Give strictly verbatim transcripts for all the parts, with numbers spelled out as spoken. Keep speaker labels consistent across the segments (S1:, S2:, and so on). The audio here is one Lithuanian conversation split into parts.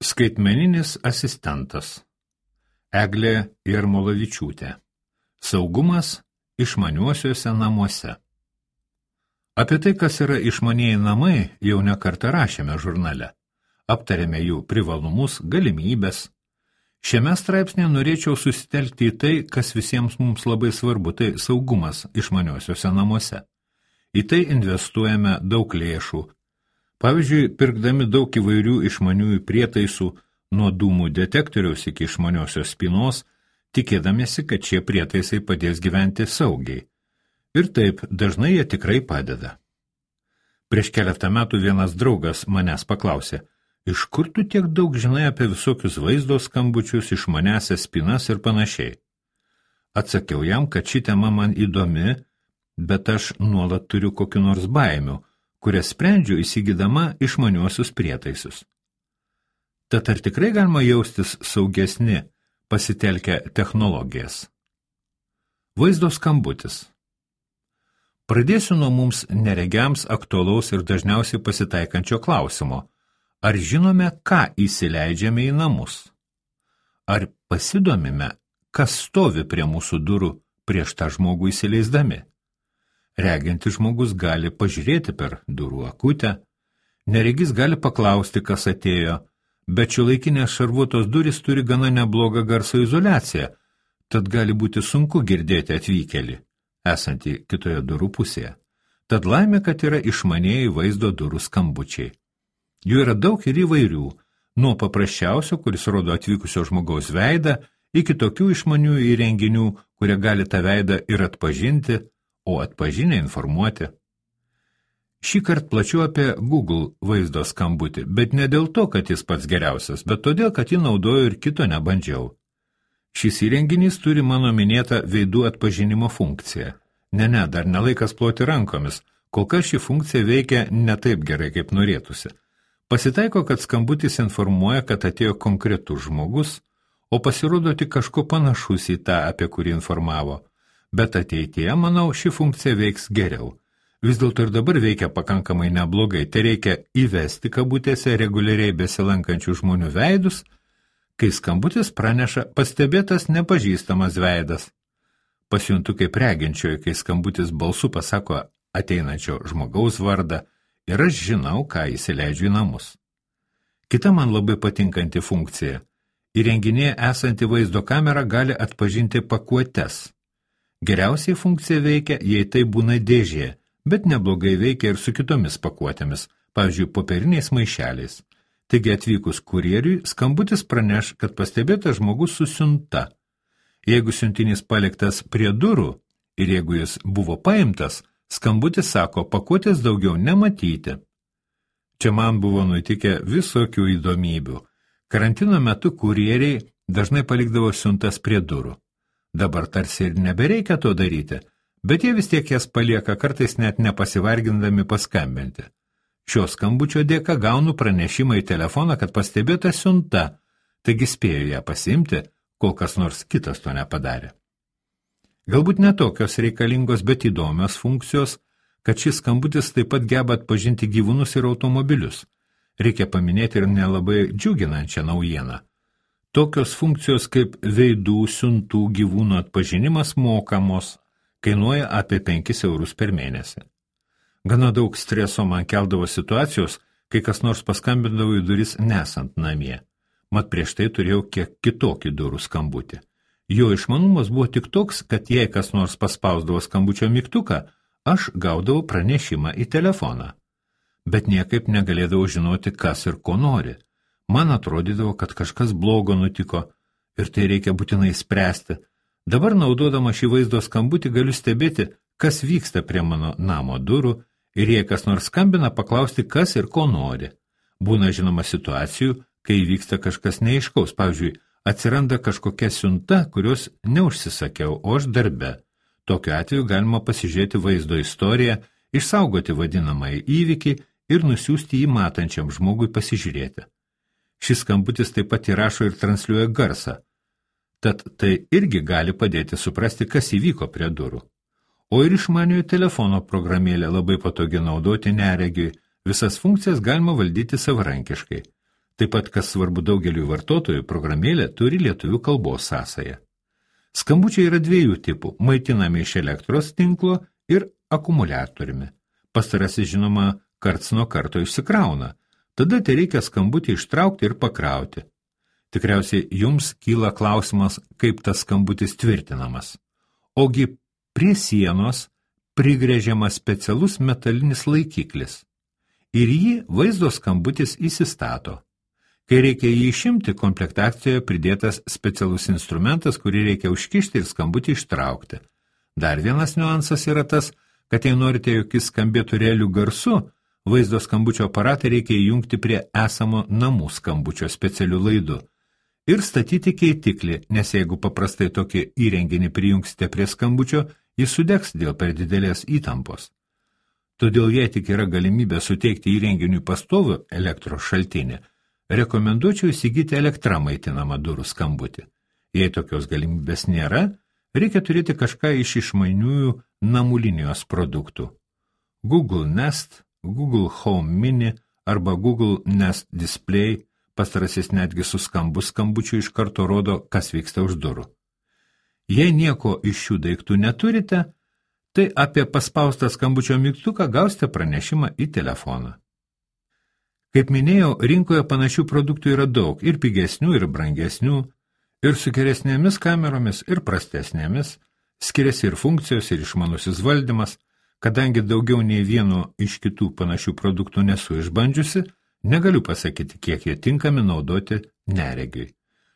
S1: Skaitmeninis asistentas. Eglė Jarmolavičiūtė. Saugumas išmaniuosiuose namuose. Apie tai, kas yra išmanieji namai, jau ne kartą rašėme žurnale. Aptarėme jų privalumus, galimybės. Šiame straipsnėje norėčiau susitelkti į tai, kas visiems mums labai svarbu, tai saugumas išmaniuosiuose namuose. Į tai investuojame daug lėšų. Pavyzdžiui, pirkdami daug įvairių išmaniųjų prietaisų, nuo dūmų detektoriaus iki išmaniosios spynos, tikėdamiesi, kad šie prietaisai padės gyventi saugiai. Ir taip, dažnai jie tikrai padeda. Prieš keletą metų vienas draugas manęs paklausė, iš kur tu tiek daug žinai apie visokius vaizdo skambučius, išmaniasias spynas ir panašiai. Atsakiau jam, kad ši tema man įdomi, bet aš nuolat turiu kokiu nors baimių, kurias sprendžiu įsigydama išmaniuosius prietaisus. Tad ar tikrai galima jaustis saugesni, pasitelkę technologijas? Vaizdo skambutis. Pradėsiu nuo mums neregiams aktualaus ir dažniausiai pasitaikančio klausimo. Ar žinome, ką įsileidžiame į namus? Ar pasidomime, kas stovi prie mūsų durų prieš tą žmogų įsileisdami? Regintis žmogus gali pažiūrėti per durų akutę, neregis gali paklausti, kas atėjo, bet šiuolaikinės šarvuotos durys turi gana neblogą garso izoliaciją, tad gali būti sunku girdėti atvykėlį, esantį kitoje durų pusėje. Tad laimė, kad yra išmanieji vaizdo durų skambučiai. Jų yra daug ir įvairių, nuo paprasčiausio, kuris rodo atvykusio žmogaus veidą, iki tokių išmanių įrenginių, kurie gali tą veidą ir atpažinti, o atpažinę informuoti. Šį kartą plačiau apie Google vaizdo skambutį, bet ne dėl to, kad jis pats geriausias, bet todėl, kad jį naudoju ir kito nebandžiau. Šis įrenginys turi mano minėtą veidų atpažinimo funkciją. Ne, ne, dar nelaikas ploti rankomis, kol kas ši funkcija veikia ne taip gerai, kaip norėtųsi. Pasitaiko, kad skambutis informuoja, kad atėjo konkretus žmogus, o pasirodo tik kažko panašus į tą, apie kurį informavo. Bet ateityje, manau, ši funkcija veiks geriau. Vis dėlto ir dabar veikia pakankamai neblogai, tai reikia įvesti kabutėse reguliariai besilankančių žmonių veidus, kai skambutis praneša pastebėtas nepažįstamas veidas. Pasijuntu kaip reginčioji, kai skambutis balsu pasako ateinančio žmogaus vardą ir aš žinau, ką įsileidžiu į namus. Kita man labai patinkanti funkcija. Įrenginėje esanti vaizdo kamera gali atpažinti pakuotes. Geriausiai funkcija veikia, jei tai būna dėžė, bet neblogai veikia ir su kitomis pakuotėmis, pavyzdžiui, popieriniais maišeliais. Taigi atvykus kurjeriui, skambutis praneš, kad pastebėtas žmogus su siunta. Jeigu siuntinys paliktas prie durų ir jeigu jis buvo paimtas, skambutis sako, pakuotės daugiau nematyti. Čia man buvo nutikę visokių įdomybių. Karantino metu kurjeriai dažnai palikdavo siuntas prie durų. Dabar tarsi ir nebereikia to daryti, bet jie vis tiek jas palieka, kartais net nepasivargindami paskambinti. Šio skambučio dėka gaunu pranešimą į telefoną, kad pastebėta siunta, taigi spėju ją pasiimti, kol kas nors kitas to nepadarė. Galbūt netokios reikalingos, bet įdomios funkcijos, kad šis skambutis taip pat geba atpažinti gyvūnus ir automobilius. Reikia paminėti ir nelabai džiuginančią naujieną. Tokios funkcijos kaip veidų, siuntų, gyvūnų atpažinimas mokamos, kainuoja apie penkis eurus per mėnesį. Gana daug streso man keldavo situacijos, kai kas nors paskambindavo į duris nesant namie. Mat prieš tai turėjau kiek kitokį durų skambutį. Jo išmanumas buvo tik toks, kad jei kas nors paspausdavo skambučio mygtuką, aš gaudavau pranešimą į telefoną. Bet niekaip negalėdavau žinoti, kas ir ko nori. Man atrodydavo, kad kažkas blogo nutiko ir tai reikia būtinai spręsti. Dabar naudodama šį vaizdo skambutį galiu stebėti, kas vyksta prie mano namo durų ir jei kas nors skambina, paklausti, kas ir ko nori. Būna žinoma situacijų, kai vyksta kažkas neaiškaus, pavyzdžiui, atsiranda kažkokia siunta, kurios neužsisakiau, o aš darbe. Tokiu atveju galima pasižiūrėti vaizdo istoriją, išsaugoti vadinamąjį įvykį ir nusiųsti jį matančiam žmogui pasižiūrėti. Šis skambutis taip pat įrašo ir transliuoja garsą, tad tai irgi gali padėti suprasti, kas įvyko prie durų. O ir išmaniojo telefono programėlė labai patogi naudoti neregiui, visas funkcijas galima valdyti savarankiškai. Taip pat, kas svarbu daugeliui vartotojų, programėlė turi lietuvių kalbos sąsają. Skambučiai yra dviejų tipų – maitinami iš elektros tinklo ir akumuliatoriumi. Pastarasis, žinoma, karts nuo karto išsikrauna. Tada tai reikia skambutį ištraukti ir pakrauti. Tikriausiai jums kyla klausimas, kaip tas skambutis tvirtinamas. Ogi prie sienos prigrėžiamas specialus metalinis laikiklis. Ir jį vaizdo skambutis įsistato. Kai reikia jį išimti, komplektacijoje pridėtas specialus instrumentas, kurį reikia užkišti ir skambutį ištraukti. Dar vienas niuansas yra tas, kad jei norite, jog jis skambėtų realių garsu, vaizdo skambučio aparatą reikia įjungti prie esamo namų skambučio specialių laidų ir statyti keitiklį, nes jeigu paprastai tokį įrenginį prijungsite prie skambučio, jis sudegs dėl per didelės įtampos. Todėl jei tik yra galimybė suteikti įrenginiui pastovų elektros šaltinį, rekomenduočiau įsigyti elektra maitinamą durų skambutį. Jei tokios galimybės nėra, reikia turėti kažką iš išmaniųjų namų linijos produktų. Google Nest, Google Home Mini arba Google Nest Display, pastarasis netgi su skambu skambučiu iš karto rodo, kas vyksta už durų. Jei nieko iš šių daiktų neturite, tai apie paspaustą skambučio mygtuką gausite pranešimą į telefoną. Kaip minėjau, rinkoje panašių produktų yra daug, ir pigesnių, ir brangesnių, ir su geresnėmis kameromis, ir prastesnėmis, skiriasi ir funkcijos, ir išmanusis valdymas. Kadangi daugiau nei vieno iš kitų panašių produktų nesu išbandžiusi, negaliu pasakyti, kiek jie tinkami naudoti neregiui.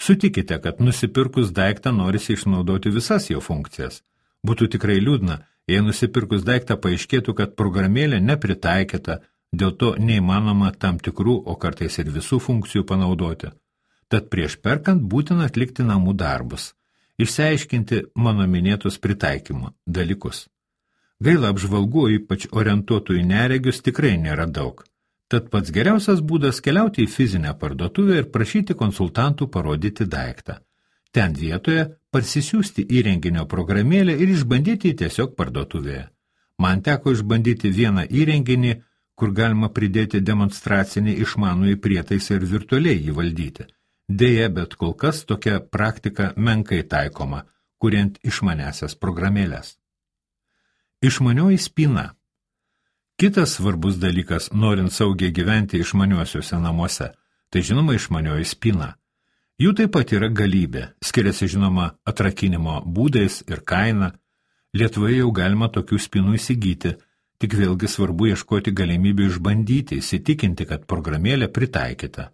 S1: Sutikite, kad nusipirkus daiktą norisi išnaudoti visas jo funkcijas. Būtų tikrai liūdna, jei nusipirkus daiktą paaiškėtų, kad programėlė nepritaikyta, dėl to neįmanoma tam tikrų, o kartais ir visų funkcijų panaudoti. Tad prieš perkant būtina atlikti namų darbus, išsiaiškinti mano minėtus pritaikymo dalykus. Gaila apžvalgų, ypač orientuotų į neregius, tikrai nėra daug. Tad pats geriausias būdas keliauti į fizinę parduotuvę ir prašyti konsultantų parodyti daiktą. Ten vietoje parsisiųsti įrenginio programėlę ir išbandyti tiesiog parduotuvėje. Man teko išbandyti vieną įrenginį, kur galima pridėti demonstracinį išmanųjį prietaisą ir virtualiai jį valdyti. Deja, bet kol kas tokia praktika menkai taikoma, kuriant išmanesias programėlės. Išmanioji spyna. Kitas svarbus dalykas, norint saugiai gyventi išmaniuosiuose namuose, tai žinoma išmanioji spyna. Jų taip pat yra galybė, skiriasi žinoma atrakinimo būdais ir kaina. Lietuvoje jau galima tokių spynų įsigyti, tik vėlgi svarbu ieškoti galimybių išbandyti, įsitikinti, kad programėlė pritaikyta.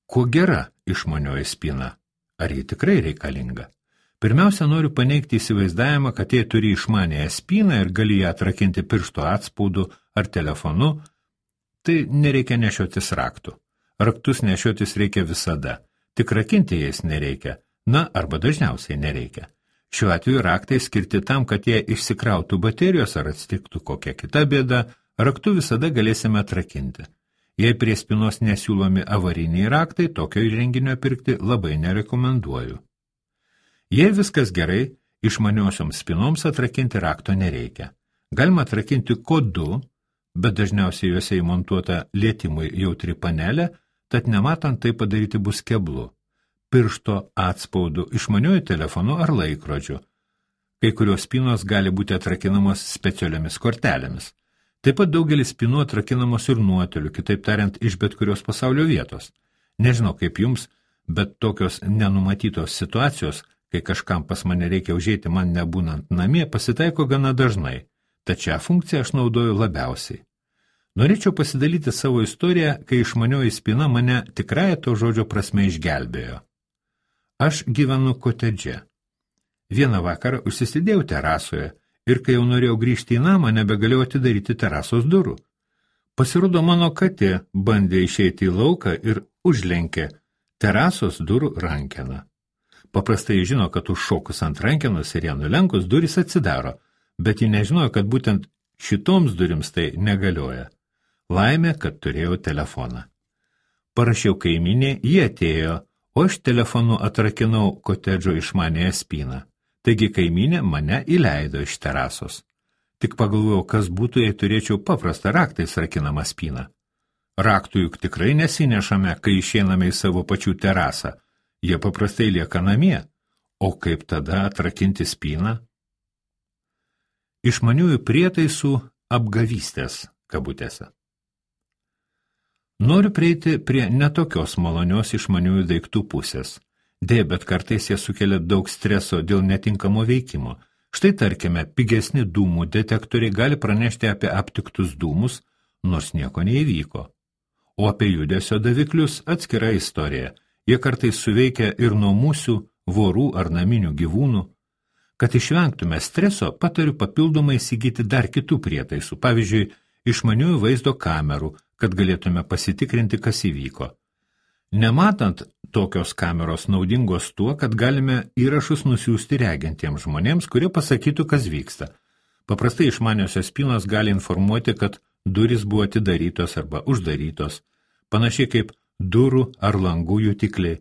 S1: Kuo gera išmanioji spyna? Ar ji tikrai reikalinga? Pirmiausia, noriu paneigti įsivaizdavimą, kad jei turi išmanėją spyną ir gali ją atrakinti piršto atspaudu ar telefonu, tai nereikia nešiotis raktų. Raktus nešiotis reikia visada, tik rakinti jais nereikia, na arba dažniausiai nereikia. Šiuo atveju raktai skirti tam, kad jie išsikrautų baterijos ar atsitiktų kokia kita bėda, raktu visada galėsime atrakinti. Jei prie spynos nesiūlomi avariniai raktai, tokio įrenginio pirkti labai nerekomenduoju. Jei viskas gerai, išmaniosioms spynoms atrakinti rakto nereikia. Galima atrakinti kodu, bet dažniausiai juose įmontuota lietimui jautri panelė, tad nematant tai padaryti bus keblu. Piršto atspaudu, išmaniuoju telefonu ar laikrodžiu. Kai kurios spynos gali būti atrakinamos specialiomis kortelėmis. Taip pat daugelis spynų atrakinamos ir nuotoliu, kitaip tariant, iš bet kurios pasaulio vietos. Nežinau kaip jums, bet tokios nenumatytos situacijos, kai kažkam pas mane reikia užeiti man nebūnant namie, pasitaiko gana dažnai, tad šią funkciją aš naudoju labiausiai. Norėčiau pasidalyti savo istoriją, kai išmanioji spyna mane tikrąja to žodžio prasme išgelbėjo. Aš gyvenu kotedže. Vieną vakarą užsisidėjau terasoje ir kai jau norėjau grįžti į namą, nebegalėjau atidaryti terasos durų. Pasirodo, mano katė bandė išeiti į lauką ir užlenkė terasos durų rankeną. Paprastai žino, kad užšokus ant rankenos ir ją nulenkus durys atsidaro, bet ji nežinojo, kad būtent šitoms durims tai negalioja. Laimė, kad turėjau telefoną. Parašiau kaiminė, jie atėjo, o aš telefonu atrakinau kotedžo išmanėją spyną. Taigi kaiminė mane įleido iš terasos. Tik pagalvojau, kas būtų, jei turėčiau paprastą raktais rakinamą spyną. Raktų juk tikrai nesinešame, kai išeiname į savo pačių terasą. Jie paprastai lieka namie. O kaip tada atrakinti spyną? Išmaniųjų prietaisų apgavystės kabutėse. Noriu prieiti prie netokios malonios išmaniųjų daiktų pusės. Deja, bet kartais jie sukelia daug streso dėl netinkamo veikimo. Štai tarkime, pigesni dūmų detektoriai gali pranešti apie aptiktus dūmus, nors nieko neįvyko. O apie judesio daviklius atskira istorija. Jie kartais suveikia ir nuo musių, vorų ar naminių gyvūnų. Kad išvengtume streso, patariu papildomai įsigyti dar kitų prietaisų, pavyzdžiui, išmaniųjų vaizdo kamerų, kad galėtume pasitikrinti, kas įvyko. Nematant, tokios kameros naudingos tuo, kad galime įrašus nusiųsti regintiems žmonėms, kurie pasakytų, kas vyksta. Paprastai išmaniosios spynos gali informuoti, kad durys buvo atidarytos arba uždarytos, panašiai kaip durų ar langų jutikliai.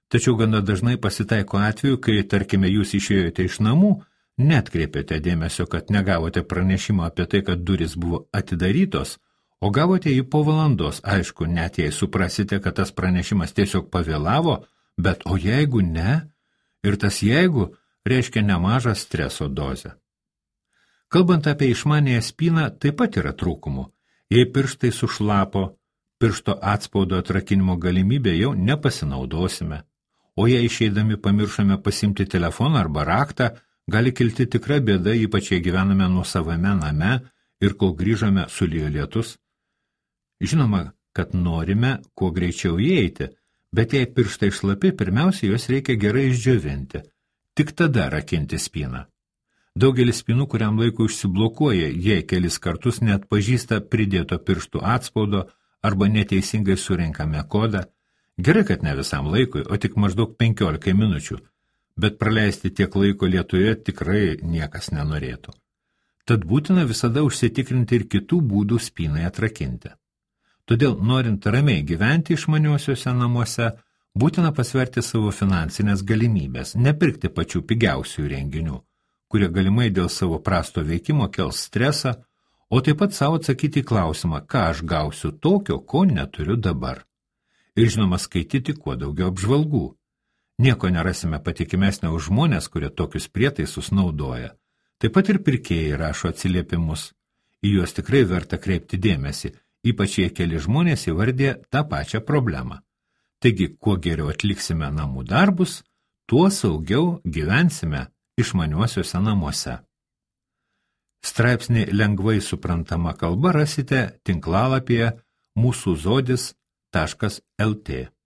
S1: Tačiau gana dažnai pasitaiko atveju, kai, tarkime, jūs išėjote iš namų, netkreipėte dėmesio, kad negavote pranešimą apie tai, kad durys buvo atidarytos, o gavote jį po valandos. Aišku, net jei suprasite, kad tas pranešimas tiesiog pavėlavo, bet o jeigu ne, ir tas jeigu reiškia nemažą streso dozę. Kalbant apie išmanėją spyną, taip pat yra trūkumų. Jei pirštai sušlapo, piršto atspaudo atrakinimo galimybę jau nepasinaudosime. O jei išeidami pamiršome pasimti telefoną arba raktą, gali kilti tikra bėda, ypač jei gyvename nuosavame name ir kol grįžome sulijo lietus. Žinoma, kad norime kuo greičiau įeiti, bet jei pirštai šlapi, pirmiausia, juos reikia gerai išdžiovinti. Tik tada rakinti spyną. Daugelis spynų kuriam laikui užsiblokuoja, jei kelis kartus net pažįsta pridėto pirštų atspaudo arba neteisingai surinkame kodą. Gerai, kad ne visam laikui, o tik maždaug penkiolikai minučių, bet praleisti tiek laiko lietuje tikrai niekas nenorėtų. Tad būtina visada užsitikrinti ir kitų būdų spynai atrakinti. Todėl, norint ramiai gyventi išmaniuosiuose namuose, būtina pasverti savo finansinės galimybės, nepirkti pačių pigiausių renginių, kurie galimai dėl savo prasto veikimo kels stresą, o taip pat savo atsakyti į klausimą, ką aš gausiu tokio, ko neturiu dabar. Ir žinoma, skaityti kuo daugiau apžvalgų. Nieko nerasime patikimesnio už žmonės, kurie tokius prietaisus naudoja. Taip pat ir pirkėjai rašo atsiliepimus. Į juos tikrai verta kreipti dėmesį, ypač jei keli žmonės įvardė tą pačią problemą. Taigi, kuo geriau atliksime namų darbus, tuo saugiau gyvensime išmaniuosiuose namuose. Straipsnį lengvai suprantama kalba rasite tinklalapyje mūsų zodis taškas lt.